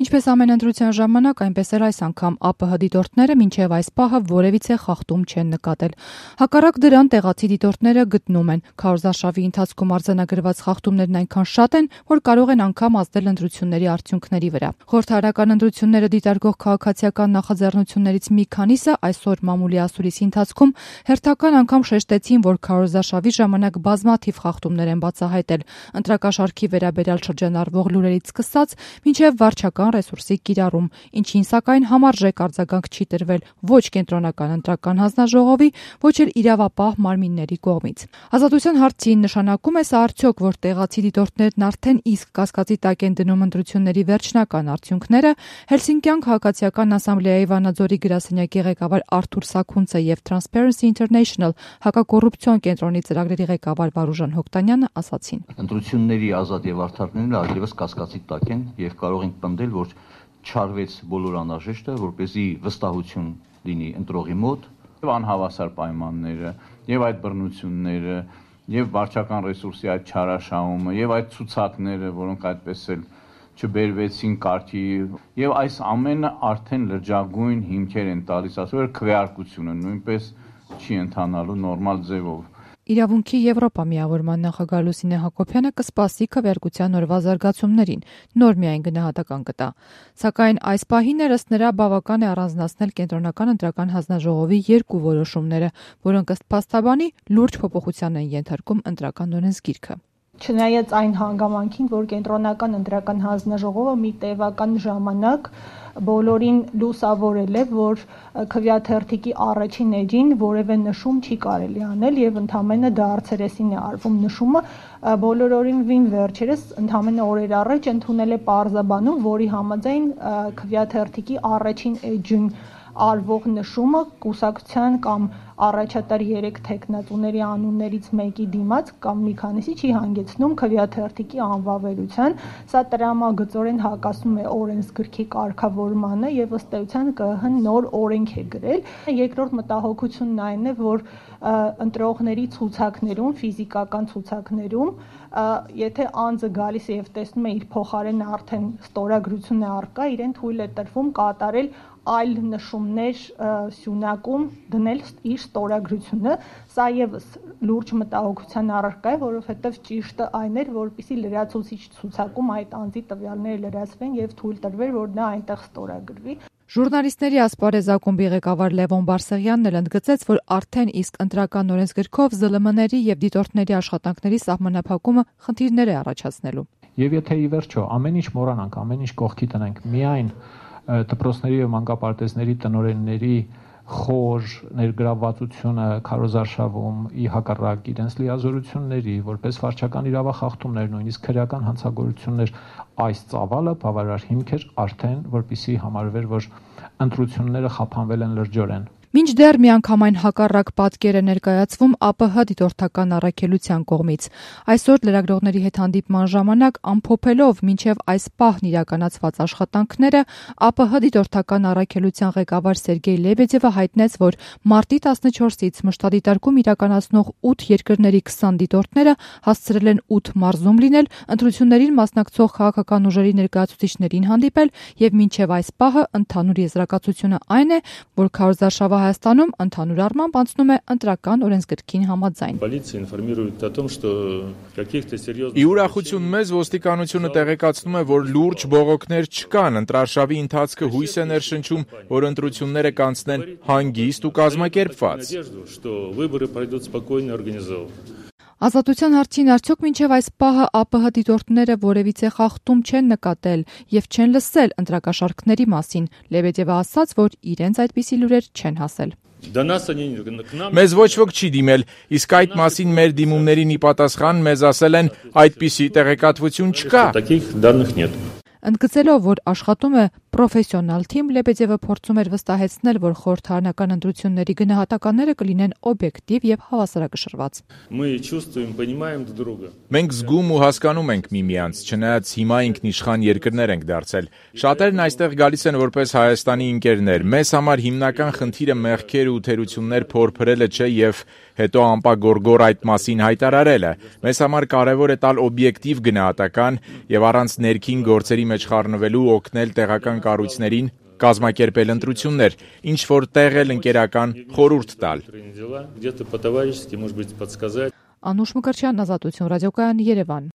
Ինչպես ամեն ընտրության ժամանակ, այնպես էլ այս անգամ ԱՊՀ դիտորդները մինչև այս պահը որևիցե խախտում չեն նկատել։ Հակառակ դրան տեղացի դիտորդները գտնում են, քարոզարշավի ընթացքում արձանագրված խախտումներն այնքան շատ են, որ կարող են անգամ ազդել ընտրությունների արդյունքների վրա։ Խորհրդարական ընտրությունները դիտարկող քաղաքացիական նախաձեռնություններից մի քանիսը այսօր մամուլի ասուլիսի ընթացքում հերթական անգամ շեշտեցին, որ քարոզարշավի ժամանակ բազմաթիվ խախտումներ են բացահայտել, ընտրակաշառքի վերաբերյալ շրջանառվող լուրերից սկսած մինչև վարչական ռեսուրսի կիրառում, ինչին սակայն համարժեք արձագանք չի տրվել ոչ կենտրոնական ընտրական հանձնաժողովի, ոչ էլ իրավապահ մարմինների կողմից։ Ազատության հարցին նշանակում է սա արդյոք, որ տեղացի դիտորդներն արդեն իսկ կասկածի տակ են դնում ընտրությունների վերջնական արդյունքները, Հելսինկյան քաղաքացիական ասամբլեայի Վանաձորի գրասենյակի ղեկավար Արթուր Սաքունցը եւ Transparency International հակակոռուպցիոն կենտրոնի ծրագրերի ղեկավար Վարուժան Հոկտանյանը ասացին. Ընտրությունների ազատ եւ արդար լինելը այլևս կասկածի տակ են եւ կարող ենք պնդել, որ չարվեց բոլոր անհրաժեշտը, որպեսզի վստահություն լինի ընտրողի մոտ եւ անհավասար պայմանները եւ այդ բռնությունները եւ վարչական ռեսուրսի այդ չարաշահումը եւ այդ ցուցակները, որոնք այդպես էլ չբերվեցին կարգի եւ այս ամենը արդեն լրջագույն հիմքեր են տալիս, ասում որ քվեարկությունը նույնպես չի ընթանալու նորմալ ձևով։ Իրավունքի Եվրոպա միավորման նախագահ Լուսինե Հակոբյանը կսպասի քվեարկության օրվա զարգացումներին, նոր միայն գնահատական կտա։ Սակայն այս պահին ըստ նրա բավական է առանձնացնել կենտրոնական ընտրական հանձնաժողովի երկու որոշումները, որոնք ըստ փաստաբանի լուրջ փոփոխության են ենթարկում ընտրական օրենսգիրքը։ Չնայած այն հանգամանքին, որ կենտրոնական ընտրական հանձնաժողովը մի տևական ժամանակ բոլորին լուսավորել է, որ քվեաթերթիկի առաջին էջին որևէ նշում չի կարելի անել եւ ընդամենը դարձերեսին է արվում նշումը, բոլորովին վերջերս ընդամենը օրեր առաջ ընդունել է պարզաբանում, որի համաձայն քվեաթերթիկի առաջին էջին արվող նշումը կուսակցության կամ առաջատար 3 թեկնածուների անուններից մեկի դիմաց կամ մի քանիսի չի հանգեցնում քվեաթերթիկի անվավերության, սա տրամագծորեն հակասում է օրենսգրքի կարգավորմանը եւ ըստ էության ԿԸՀ-ն նոր օրենք է գրել։ Երկրորդ մտահոգությունն այն է, որ ընտրողների ցուցակներում, ֆիզիկական ցուցակներում, եթե անձը գալիս է եւ տեսնում է իր փոխարենը արդեն ստորագրություն է առկա, իրեն թույլ է տրվում կատարել այլ նշումներ սյունակում դնել իր ստորագրությունը, սա եւս լուրջ մտահոգության առարկա է, որովհետեւ ճիշտը այն էր, որպեսզի լրացուցիչ ցուցակում այդ անձի տվյալները լրացվեն եւ թույլ տրվեր, որ նա այնտեղ ստորագրվի։ Ժուրնալիստների ասպարեզ ակումբի ղեկավար Լևոն Բարսեղյանն էլ ընդգծեց, որ արդեն իսկ ընտրական օրենսգրքով ԶԼՄ-ների եւ դիտորդների աշխատանքների սահմանափակումը խնդիրներ է առաջացնելու։ Եվ եթե ի վերջո ամեն ինչ մոռանանք, ամեն ինչ կողքի տնենք, միայն դպրոցների եւ մանկապարտեզների տնօրենների խոր ներգրավվածությունը քարոզարշավում ի հակառակ իրենց լիազորությունների, որպես վարչական իրավախախտումներ, նույնիսկ քրեական հանցագործություններ, այս ծավալը բավարար հիմք էր արդեն, որպեսզի համարվեր, որ ընտրությունները խափանվել են լրջորեն։ Մինչդեռ միանգամայն հակառակ պատկեր է ներկայացվում ԱՊՀ դիտորդական առաքելության կողմից։ Այսօր լրագրողների հետ հանդիպման ժամանակ ամփոփելով մինչև այս պահն իրականացված աշխատանքները, ԱՊՀ դիտորդական առաքելության ղեկավար Սերգեյ Լեբեդևը հայտնեց, որ մարտի 14-ից մշտադիտարկում իրականացնող 8 երկրների 20 դիտորդները հասցրել են 8 մարզում լինել, ընտրություններին մասնակցող քաղաքական ուժերի ներկայացուցիչներին հանդիպել եւ մինչև այս պահը ընդհանուր եզրակացությունը այն է, որ քարոզարշավը Հայաստանում ընդհանուր առմամբ անցնում է ընտրական օրենսգրքին համաձայն։ Ի ուրախություն մեզ ոստիկանությունը տեղեկացնում է, որ լուրջ բողոքներ չկան, ընտրարշավի ընթացքը հույս է ներշնչում, որ ընտրությունները կանցնեն հանգիստ ու կազմակերպված։ Ազատության հարցին արդյոք մինչև այս պահը ԱՊՀ դիտորդները որևիցե խախտում չեն նկատել եւ չեն լսել ընտրակաշառքների մասին, Լեբեդևը ասաց, որ իրենց այդպիսի լուրեր չեն հասել։ Մեզ ոչ ոք չի դիմել, իսկ այդ մասին մեր դիմումներին ի պատասխան մեզ ասել են այդպիսի տեղեկատվություն չկա։ Ընդգծելով, որ աշխատում է պրոֆեսիոնալ թիմ, Լեբեդևը փորձում էր վստահեցնել, որ խորհրդարանական ընտրությունների գնահատականները կլինեն օբյեկտիվ եւ հավասարակշռված։ Մենք զգում ու հասկանում ենք միմյանց, չնայած հիմա ինքնիշխան երկրներ ենք դարձել։ Շատերն այստեղ գալիս են որպես Հայաստանի ընկերներ։ Մեզ համար հիմնական խնդիրը մեղքեր ու թերություններ փորփրելը չէ եւ հետո ամպագորգոր այդ մասին հայտարարելը։ Մեզ համար կարևոր է տալ օբյեկտիվ գնահատական եւ առանց ներքին գործերի մեջ խառնվելու օգնել տեղական կառույցներին կազմակերպել ընտրություններ, ինչ որ տեղ էլ ընկերական խորհուրդ տալ։ Անուշ Մկրտչյան, Ազատություն ռադիոկայան, Երևան։